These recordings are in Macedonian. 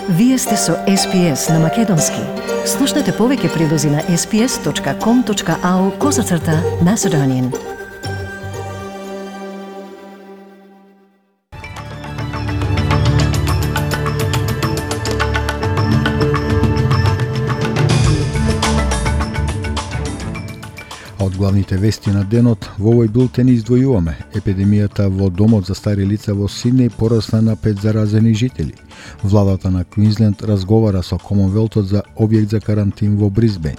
Вие сте со SPS на Македонски. Слушнете повеќе прилози на sps.com.au/Macedonian. Од главните вести на денот во овој бултен издвојуваме: епидемијата во домот за стари лица во Сиднеј порасна на 5 заразени жители. Владата на Квинсленд разговара со Комонвелтот за објект за карантин во Брисбејн.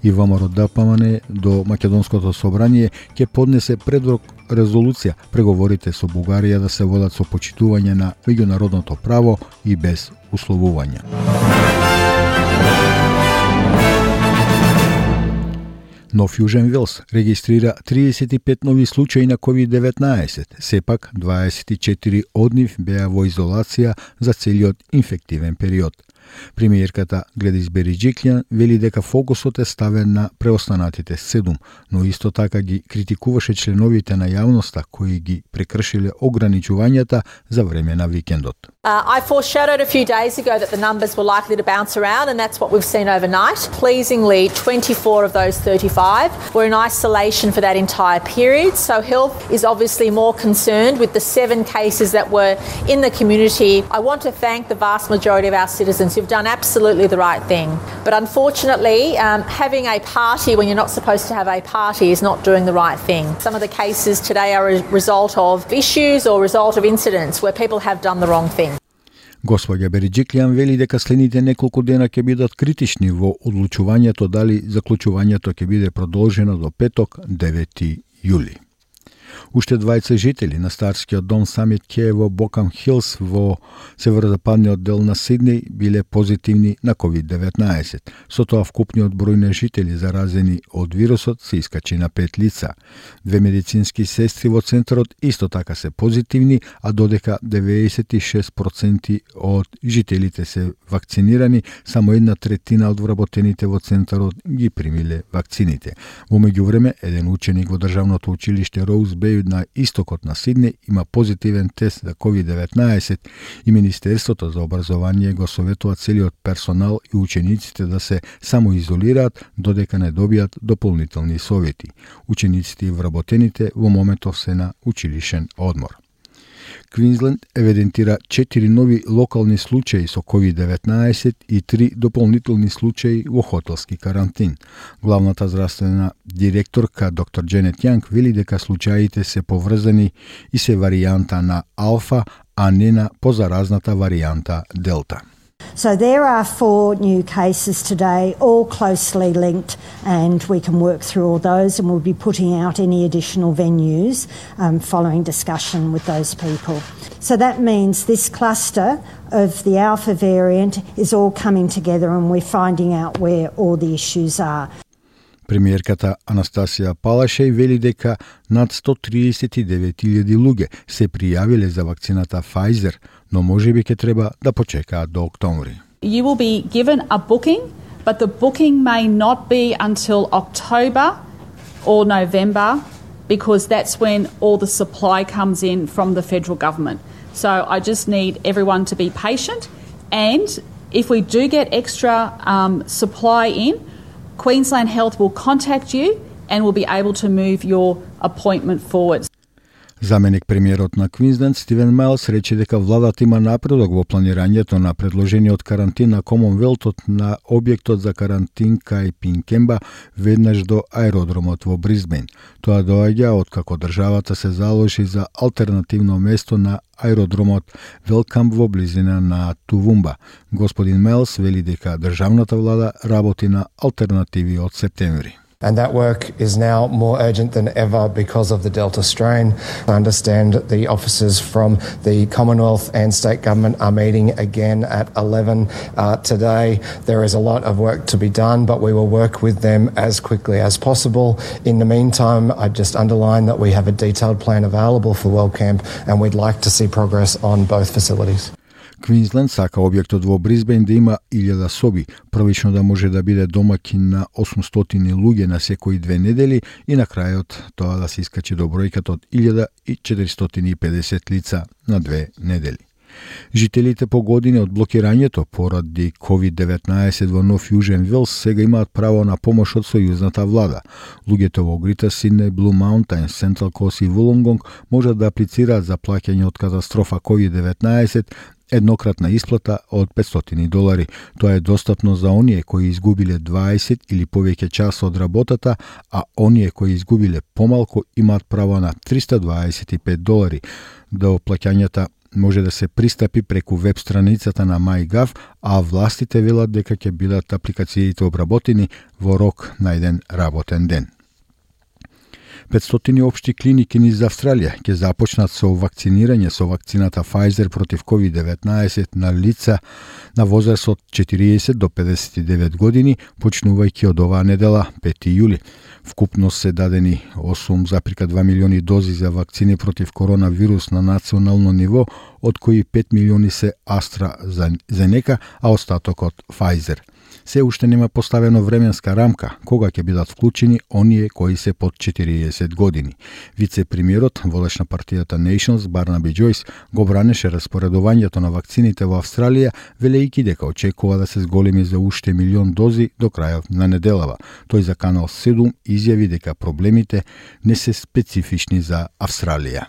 И ВМРО ДПМН до Македонското собрание ќе поднесе предлог резолуција преговорите со Бугарија да се водат со почитување на меѓународното право и без условувања. Нов Јужен Велс регистрира 35 нови случаи на COVID-19, сепак 24 од нив беа во изолација за целиот инфективен период. Премиерката Гледис Бериџиклјан вели дека фокусот е ставен на преостанатите 7, но исто така ги критикуваше членовите на јавноста кои ги прекршиле ограничувањата за време на викендот. I foreshadowed a few days ago that the numbers were likely to bounce around, and that's what we've seen overnight. Pleasingly, 24 of those 35 were in isolation for that entire period. So health is obviously more concerned with the 7 cases that were in the community. I want to thank the vast majority of our citizens who've done absolutely the right thing. But unfortunately, having a party when you're not supposed to have a party is not doing the right thing. Some of the cases today are a result of issues or result of incidents where people have done the wrong thing. Господја Бериџиклјан вели дека следните неколку дена ќе бидат критични во одлучувањето дали заклучувањето ќе биде продолжено до петок, 9 јули. Уште 20 жители на старскиот дом Самит Кеј во Бокам Хилс во северозападниот дел на Сиднеј биле позитивни на COVID-19. Со тоа вкупниот број на жители заразени од вирусот се искачи на 5 лица. 2 медицински сестри во центарот исто така се позитивни, а додека 96% од жителите се вакцинирани, само 1/3 од вработените во центарот ги примиле вакцините. Во меѓувреме, еден ученик во државното училиште Роуз Беј на истокот на Сиднеј има позитивен тест за COVID-19 и Министерството за образование го советува целиот персонал и учениците да се самоизолираат додека не добијат дополнителни совети. Учениците и вработените во моментов се на училишен одмор. Квинсленд евидентира 4 нови локални случаи со COVID-19 и 3 дополнителни случаи во хотелски карантин. Главната здравствена директорка доктор Дженет Јанг вели дека случаите се поврзани и се варијанта на Алфа, а не на позаразната варијанта Делта. So there are 4 new cases today, all closely linked, and we can work through all those, and we'll be putting out any additional venues following discussion with those people. So that means this cluster of the Alpha variant is all coming together, and we're finding out where all the issues are. Премиерката Анастасија Палашеј вели дека над 139.000 луѓе се пријавиле за вакцината Pfizer, но можеби ќе треба да почекаат до октомври. You will be given a booking, but the booking may not be until October or November because that's when all the supply comes in from the federal government. So I just need everyone to be patient, and if we do get extra supply in, Queensland Health will contact you and will be able to move your appointment forward. Заменик премиерот на Квинсленд Стивен Майлс рече дека владата има напредок во планирањето на предложениот карантин на Комонвелтот на објектот за карантин кај Пинкемба веднаш до аеродромот во Брисбејн. Тоа доаѓа откако државата се заложи за алтернативно место на аеродромот Велкамп во близина на Тувумба. Господин Майлс вели дека државната влада работи на алтернативи од септември. And that work is now more urgent than ever because of the Delta strain. I understand the officers from the Commonwealth and state government are meeting again at 11 today. There is a lot of work to be done, but we will work with them as quickly as possible. In the meantime, I just underline that we have a detailed plan available for WellCamp, and we'd like to see progress on both facilities. Квинсленд сака објектот во Брисбејн да има 1000 соби, првично да може да биде домаќин на 800 луѓе на секои 2 недели и на крајот тоа да се искачи до бројката од 1450 лица на 2 недели. Жителите по години од блокирањето поради COVID-19 во Нов Јужен Велс сега имаат право на помош од сојузната влада. Луѓето во Грита Сиднеј, Блу Маунтајн, Сентрал Кост и Вулонгонг можат да аплицираат за плаќање од катастрофа COVID-19 еднократна исплата од $500. Тоа е достапно за оние кои изгубиле 20 или повеќе часа од работата, а оние кои изгубиле помалку имаат право на $325. До плаќањата може да се пристапи преку веб страницата на MyGov, а властите велат дека ќе бидат апликациите обработени во рок на еден работен ден. 500 општи клиники низ Австралија ќе започнат со вакцинирање со вакцината Pfizer против COVID-19 на лица на возраст од 40 до 59 години, почнувајќи од оваа недела, 5 јули. Вкупно се дадени 8,2 милиони дози за вакцини против коронавирус на национално ниво, од кои 5 милиони се AstraZeneca, а остатокот Pfizer. Се уште нема поставено временска рамка кога ќе бидат вклучени оние кои се под 40 години. Вице-премиерот, водеч на партијата Nations, Барнаби Џојс, го бранеше распоредувањето на вакцините во Австралија, велејќи дека очекува да се зголеми за уште 1 милион дози до крајот на неделава. Тој за Канал 7 изјави дека проблемите не се специфични за Австралија.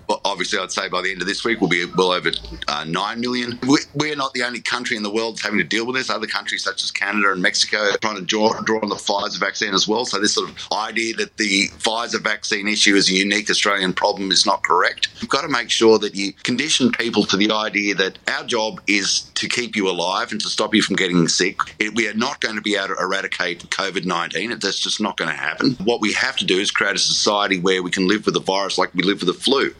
Well, obviously, I'd say by the end of this week we'll be well over 9 million. We're not the only country in the world that's having to deal with this. Other countries such as Canada and Mexico are trying to draw on the Pfizer vaccine as well. So this sort of idea that the Pfizer vaccine issue is a unique Australian problem is not correct. You've got to make sure that you condition people to the idea that our job is to keep you alive and to stop you from getting sick. We are not going to be able to eradicate COVID-19. That's just not going to happen. What we have to do is create a society where we can live with the virus like we live with the flu.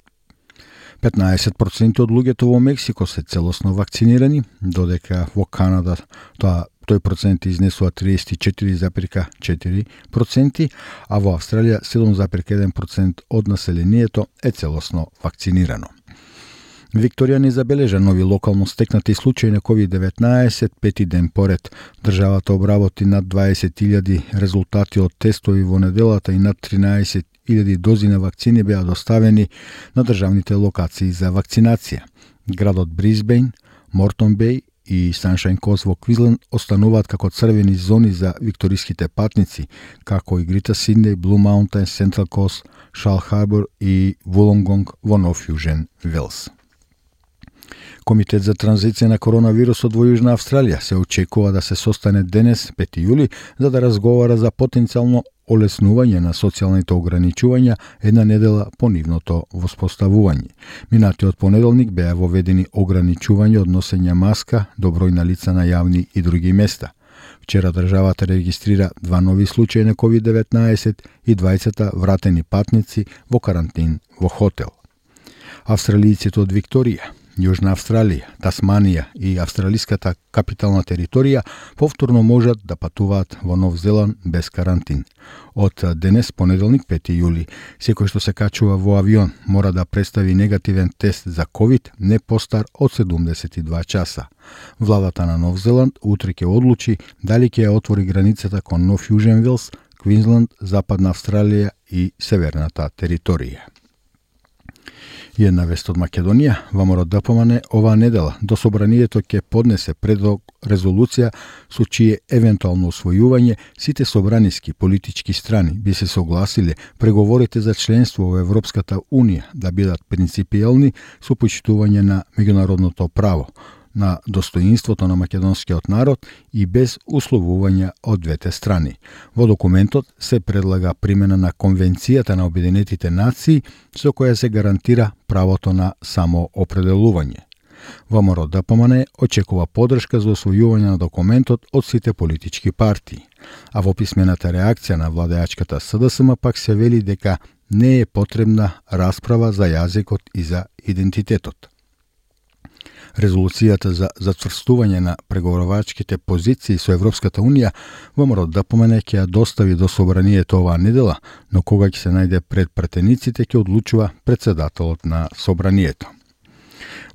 15% од луѓето во Мексико се целосно вакцинирани, додека во Канада тој процент изнесува 34,4%, а во Австралија 7,1% од населението е целосно вакцинирано. Викторија не забележа нови локално стекнати случаи на COVID-19 пети ден поред. Државата обработи над 20,000 резултати од тестови во неделата и над 13,000 дози на вакцини беа доставени на државните локации за вакцинација. Градот Брисбејн, Мортон Беј и Саншајн Кост во Квинсленд остануваат како црвени зони за викториските патници, како и Грита Сиднеј, Блу Маунтајн, Сентрал Кост, Шал Харбор и Вулонгонг во Нов Јужен Велс. Комитет за транзиција на коронавирусот во Јужна Австралија се очекува да се состане денес, 5 јули, за да разговара за потенцијално олеснување на социјалните ограничувања една недела по нивното воспоставување. Минатиот понеделник беа воведени ограничувања од носење маска до број на лица на јавни и други места. Вчера државата регистрира 2 нови случаи на COVID-19 и 20 вратени патници во карантин во хотел. Австралијците од Викторија, Јужна Австралија, Тасманија и австралиската капитална територија повторно можат да патуваат во Нов Зеланд без карантин. Од денес, понеделник, 5 јули, секој што се качува во авион мора да представи негативен тест за COVID не постар од 72 часа. Владата на Нов Зеланд утре ќе одлучи дали ќе ја отвори границата кон Нов Јужен Велс, Квинсленд, Западна Австралија и Северната територија. И една вест од Македонија, ВМРО ДПМН оваа недела до собранието ќе поднесе предлог резолуција со чие евентуално усвојување сите собраниски политички страни би се согласиле преговорите за членство во Европската Унија да бидат принципиелни со почитување на меѓународното право, на достоинството на македонскиот народ и без условувања од двете страни. Во документот се предлага примена на Конвенцијата на Обединетите нации со која се гарантира правото на самоопределување. ВМРО ДПМН очекува поддршка за усвојување на документот од сите политички партии, а во писмената реакција на владеачката СДСМ пак се вели дека не е потребна расправа за јазикот и за идентитетот. Резолуцијата за затврстување на преговорувачките позиции со Европската Унија ВМРО ДПМН ќе ја достави до собранието оваа недела, но кога ќе се најде пред пратениците ќе одлучува председателот на собранието.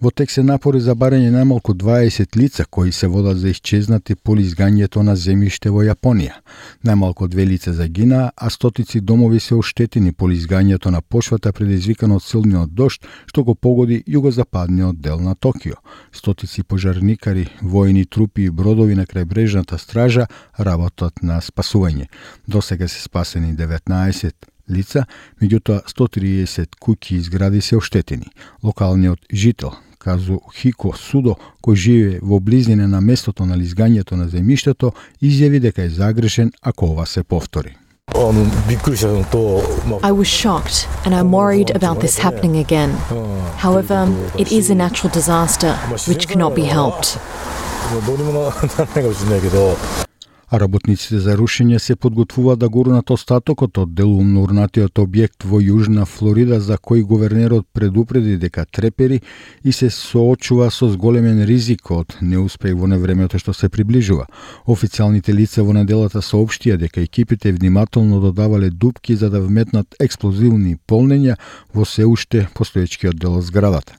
Во тек се напори за барање најмалку 20 лица кои се водат за исчезнати по изгањето на земјиште во Јапонија. Најмалку 2 лица загинаа, а стотици домови се оштетени по изгањето на почвата предизвикано од силниот дожд што го погоди југозападниот дел на Токио. Стотици пожарникари, војни трупи и бродови на крајбрежната стража работат на спасување. Досега се спасени 19 лица, меѓутоа 130 куќи и згради се оштетени. Локалниот жител Казухико Судо, кој живее во близина на местото на изгањето на земјиштето, изјави дека е загрешен ако ова се повтори. I was shocked and I'm worried about this happening again. However, it is a natural disaster which cannot be helped. А работниците за рушење се подготвуваат да гурнат остатокот од делумно урнатиот објект во Јужна Флорида, за кој гувернерот предупреди дека трепери и се соочува со зголемен ризик од неуспех во невремето што се приближува. Официјалните лица во неделата соопштија дека екипите внимателно додавале дупки за да вметнат експлозивни полнења во се уште постоечкиот дел од зградата.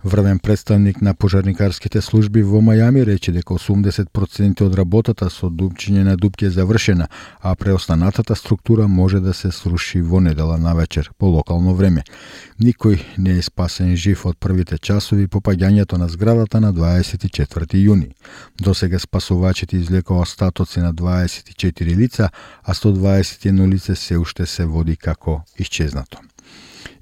Врвен представник на пожарникарските служби во Мајами рече дека 80% од работата со дупчење на дупки е завршена, а преостанатата структура може да се сруши во недела навечер по локално време. Никој не е спасен жив од првите часови по паѓањето на зградата на 24 јуни. Досега спасувачите извлекоа остатоци на 24 лица, а 121 лице се уште се води како исчезнато.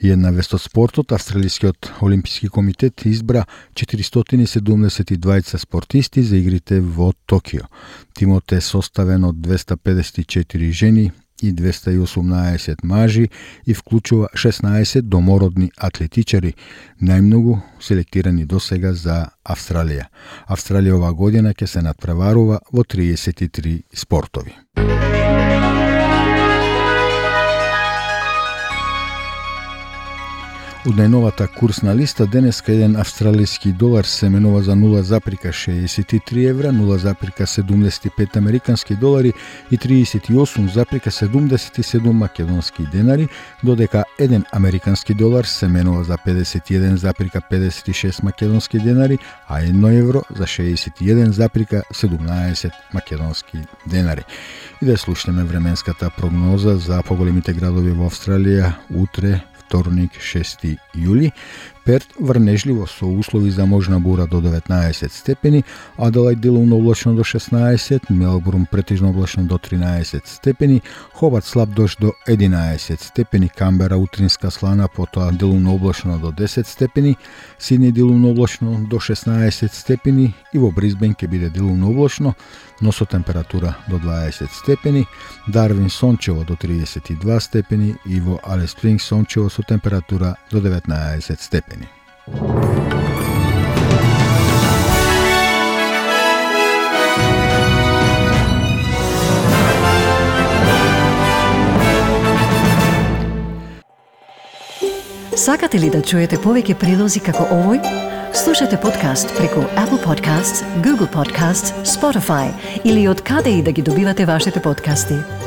И една вест од спортот, Австралискиот олимписки комитет избра 472 спортисти за игрите во Токио. Тимот е составен од 254 жени и 218 мажи и вклучува 16 домородни атлетичари, најмногу селектирани досега за Австралија. Австралија оваа година ќе се надпреварува во 33 спортови. Од најновата курсна листа денеска еден австралиски долар се менува за 0,63 евра, 0,75 американски долари и 38,77 македонски денари, додека еден американски долар се менува за 51,56 македонски денари, а 1 евро за 61,17 македонски денари. И да слушнеме временската прогноза за поголемите градови во Австралија утре, вторник, 6 јули. Перт врнежливо со услови за можна бура до 19 степени, Аделајд делумно облачно до 16, Мелбурн претежно облачно до 13 степени, Хобарт слаб дожд до 11 степени, Камбера утринска слана, потоа делумно облачно до 10 степени, Сидни делумно облачно до 16 степени и во Брисбен ќе биде делумно облачно, но со температура до 20 степени, Дарвин сончево до 32 степени и во Алис Спрингс сончево со температура до 19 степени. Сакате ли да чуете повеќе прилози како овој? Слушате подкаст преку Apple Podcasts, Google Podcasts, Spotify или од каде и да ги добивате вашите подкасти.